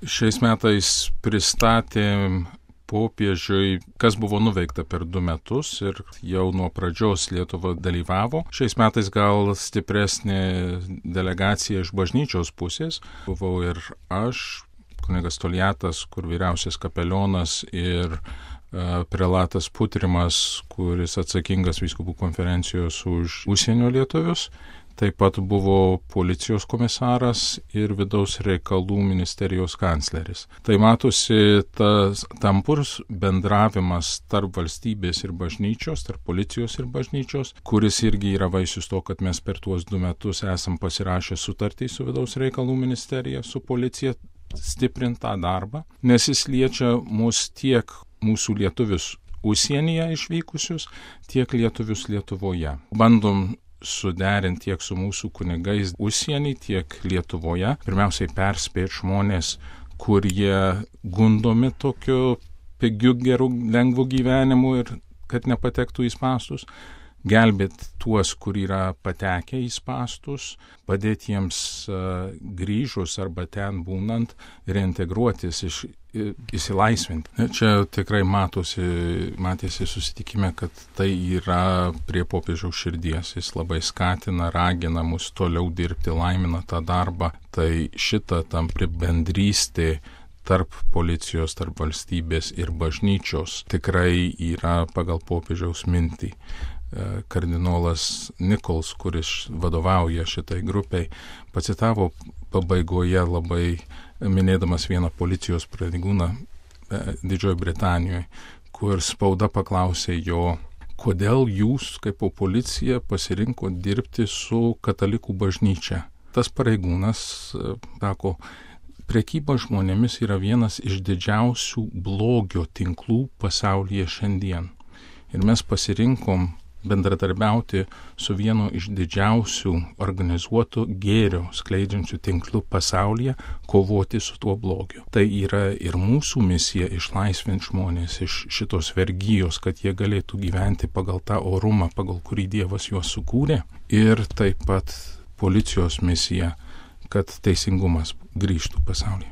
Šiais metais pristatėm popiežiui, kas buvo nuveikta per 2 metus ir jau nuo pradžios Lietuva dalyvavo. Šiais metais gal stipresnė delegacija iš bažnyčios pusės. Buvau ir aš, kunigas Toliatas, kur vyriausias kapelionas, ir prelatas Putrimas, kuris atsakingas vyskupų konferencijos už užsienio lietuvius. Taip pat buvo policijos komisaras ir vidaus reikalų ministerijos kancleris. Tai matosi tas tampus bendravimas tarp valstybės ir bažnyčios, tarp policijos ir bažnyčios, kuris irgi yra vaisius to, kad mes per tuos 2 metus esam pasirašę sutartį su vidaus reikalų ministerija, su policija, stiprint tą darbą, nes jis liečia mus tiek mūsų lietuvius užsienyje išvykusius, tiek lietuvius Lietuvoje. Bandom suderinti tiek su mūsų kunigais užsienį, tiek Lietuvoje. Pirmiausiai perspėti žmonės, kurie gundomi tokiu pigiu, geru, lengvu gyvenimu ir kad nepatektų į spąstus. Gelbėti tuos, kur yra patekę į spąstus, padėti jiems grįžus arba ten būnant reintegruotis, įsilaisvinti. Čia tikrai matėsi susitikime, kad tai yra prie popiežiaus širdies. Jis labai skatina, ragina mus toliau dirbti, laimina tą darbą. Tai šita tampri bendrystė tarp policijos, tarp valstybės ir bažnyčios tikrai yra pagal popiežiaus mintį. Kardinolas Nichols, kuris vadovauja šitai grupiai, pacitavo pabaigoje labai minėdamas vieną policijos pareigūną Didžiojoje Britanijoje, kur spauda paklausė jo, kodėl jūs kaip policija pasirinko dirbti su katalikų bažnyčia. Tas pareigūnas sako, prekyba žmonėmis yra vienas iš didžiausių blogio tinklų pasaulyje šiandien. Ir mes pasirinkom bendradarbiauti su vienu iš didžiausių organizuotų gėrio skleidžiančių tinklų pasaulyje, kovoti su tuo blogiu. Tai yra ir mūsų misija išlaisvinti žmonės iš šitos vergijos, kad jie galėtų gyventi pagal tą orumą, pagal kurį Dievas juos sukūrė. Ir taip pat policijos misija, kad teisingumas grįžtų pasaulyje.